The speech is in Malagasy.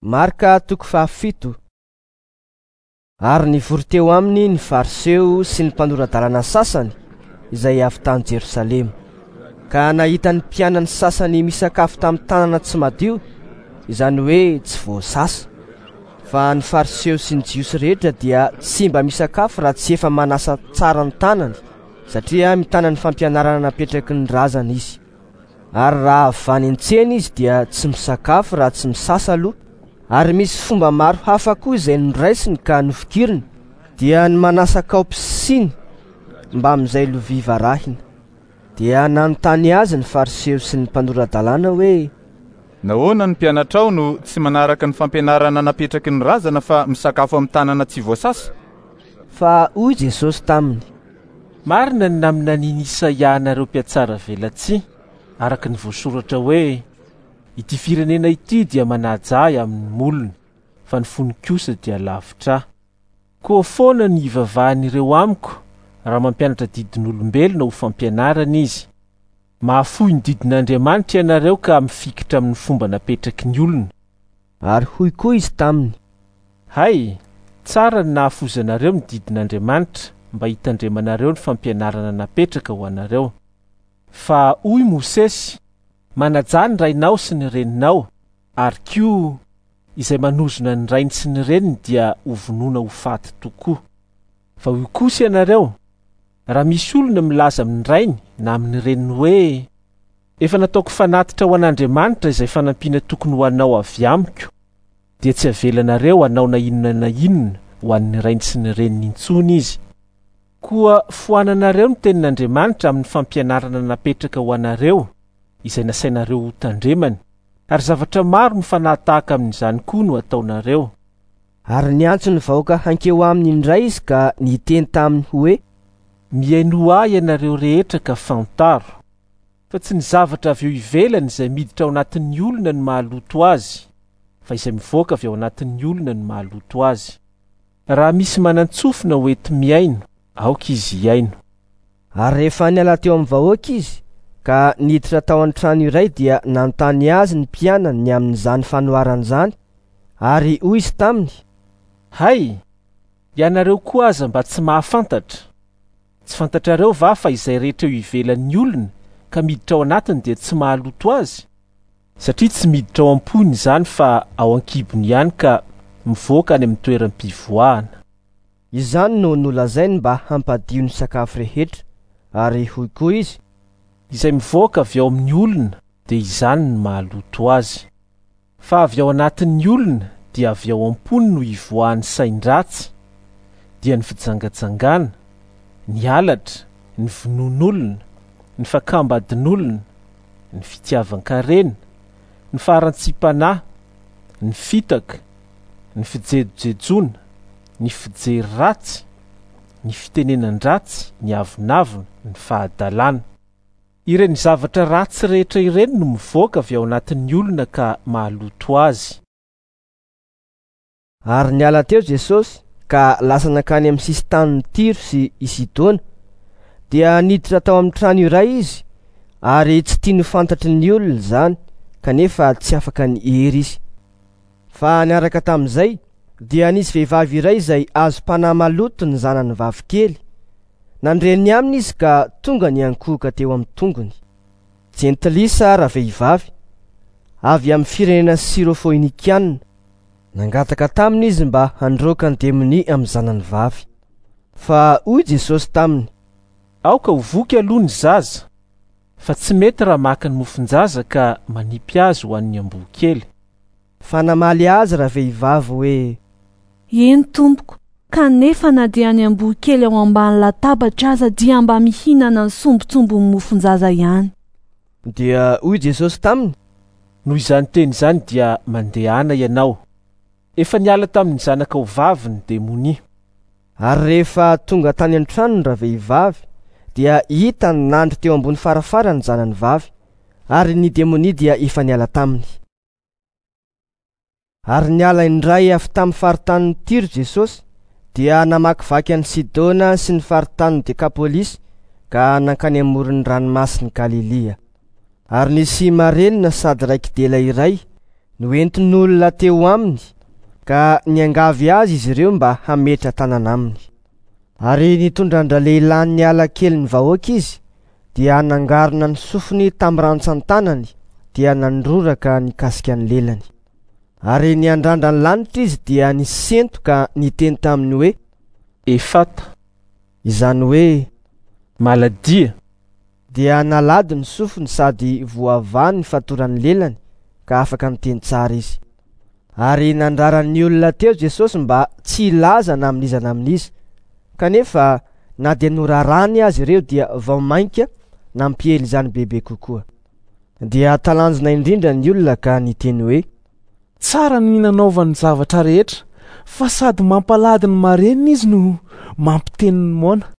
Marka toko faha-7. Ary nivory teo aminy ny Fariseo sy ny mpanora-dalàna sasany izay avy tany Jerosalema. Ka nahita ny mpianany sasany misakafo tamin'ny tanana tsy madio, izany hoe tsy voasasa. Fa ny Fariseo sy ny Jiosy rehetra dia tsy mba misakafo raha tsy efa manasa tsara ny tanany, satria mitana ny fampianarana napetraky ny razana izy. Ary raha avy any an-tsena izy dia tsy misakafo raha tsy misasa aloha. Ary misy fomba maro hafa koa izay noraisiny ka nofikiriny, dia ny manasa kaopy sy siny mbamin'izay lovia varahina. Dia nanontany azy ny Fariseo sy ny mpanora-dalàna hoe: Nahoana ny mpianatrao no tsy manaraka ny fampianarana napetraky ny razana fa misakafo amin'ny tanana tsy voasasa? Fa hoy Jesosy taminy: Marina ny naminanian'i Isaia anareo mpihatsara velatsihy, araka ny voasoratra hoe: Ity firenena ity dia manaja ahy amin'ny molony, fa ny fony kosa dia lavitra ahy. Koa foana ny hivavahan'ireo amiko raha mampianatra didin'olombelona ho fampianarana izy. Mahafoy ny didin'Andriamanitra ianareo ka mifikitra amin'ny fomba napetraky ny olona. Ary hoy koa izy taminy: Hay, tsara ny nahafoizanareo ny didin'Andriamanitra mba hitandremanareo ny fampianarana napetraka ho anareo. Fa hoy Mosesy: Manajà ny rainao sy ny reninao, ary koa izay manozona ny rainy sy ny reniny dia hovonoina ho faty tokoa. Fa hoy kosa ianareo: Raha misy olona milaza amin'ny rainy na amin'ny reniny hoe, Efa nataoko fanatitra ho an'Andriamanitra izay fanampiana tokony ho anao avy amiko, dia tsy avelanareo hanao na inona na inona ho an'ny rainy sy ny reniny intsony izy. Koa foananareo ny tenin'Andriamanitra amin'ny fampianarana napetraka ho anareo, izay nasainareo hotandremana, ary zavatra maro mifanahatahaka amin'izany koa no ataonareo. Ary niantso ny vahoaka hankeo aminy indray izy ka niteny taminy hoe: Mihainoa ahy ianareo rehetra ka fantaro, fa tsy ny zavatra avy eo ivelany izay miditra ao anatin'ny olona no mahaloto azy, fa izay mivoaka avy ao anatin'ny olona no mahaloto azy. Raha misy manan-tsofina ho enti-mihaino, aoka izy hihaino. Ary rehefa niala teo amin'ny vahoaka izy ka niditra tao an-trano iray dia nanontany azy ny mpianany ny amin'izany fanoharana izany, ary hoy izy taminy: Hay, ianareo koa aza mba tsy mahafantatra! Tsy fantatrareo va fa izay rehetra eo ivelan'ny olona ka miditra ao anatiny dia tsy mahaloto azy? Satria tsy miditra ao am-pony izany fa ao an-kibony ihany ka mivoaka any amin'ny toeram-pivoahana. Izany no nolazainy mba hampadio ny sakafo rehetra, ary hoy koa izy: Izay mivoaka avy ao amin'ny olona dia izany no mahaloto azy. Fa avy ao anatin'ny olona dia avy ao am-pony no ivoahan'ny sain-dratsy, dia ny fijangajangana, ny halatra, ny vonoan'olona, ny fakam-badin'olona, ny fitiavan-karena, ny faharantsiam-panahy, ny fitaka, ny fijejojejoana, ny fijery ratsy, ny fitenenan-dratsy, ny avonavona, ny fahadalana. Ireny zavatra ratsy rehetra ireny no mivoaka avy ao anatin'ny olona ka mahaloto azy. Ary niala teo Jesosy ka lasa nankany amin'ny sisin-tanin'i Tyro sy i Sidona. Dia niditra tao amin'ny trano iray izy, ary tsy tiany ho fantatry ny olona izany, kanefa tsy afaka niery izy. Fa niaraka tamin'izay, dia nisy vehivavy iray izay azom-panahy maloto ny zanany vavikely. Nandre ny aminy izy ka tonga niankohoka teo amin'ny tongony. Jentilisa ravehivavy, avy amin'ny firenena Syrofoinikiana. Nangataka taminy izy mba handroaka ny demonia amin'ny zanany vavy. Fa hoy Jesosy taminy: Aoka ho voky aloha ny zaza, fa tsy mety raha maka ny mofon-jaza ka manipy azy ho an'ny amboa kely. Fa namaly azy ravehivavy hoe: Eny, tompoko, kanefa na dia ny amboa kely ao ambany latabatra aza dia mba mihinana ny sombintsombin'ny mofon-jaza ihany. Dia hoy Jesosy taminy: Noho izany teny izany dia mandehana ianao. Efa niala tamin'ny zanakao vavy ny demonia. Ary rehefa tonga tany an-tranony ravehivavy, dia hitany nandry teo ambony farafara ny zanany vavy, ary ny demonia dia efa niala taminy. Ary niala indray avy tamin'ny faritanin'i Tyro Jesosy, dia namakivaky an'i Sidona sy ny faritanin'i Dekapolisy ka nankany amoron'ny ranomasin'i Galilia. Ary nisy marenina sady raiki-dela iray, Noentin'olona teo aminy ka niangavy azy izy ireo mba hametra tanana aminy. Ary nitondra an-dralehilahy niala kely ny vahoaka izy, dia nangarona ny sofiny tamin'ny rantsan-tanany, dia nandroraka nikasika ny lelany. Ary niandrandra ny lanitra izy dia nisento ka niteny taminy hoe: Efata, izany hoe maladia. Dia nalady ny sofiny sady voavaha ny fatoran'ny lelany ka afaka niteny tsara izy. Ary nandrara ny olona teo Jesosy mba tsy hilaza na amin'iza na amin'iza. Kanefa na dia norarany azy ireo dia vao mainka nampiely izany bebe kokoa. Dia talanjona indrindra ny olona ka niteny hoe: Tsara ny nanaovany zavatra rehetra, fa sady mampalady ny marenina izy no mampiteny ny moana.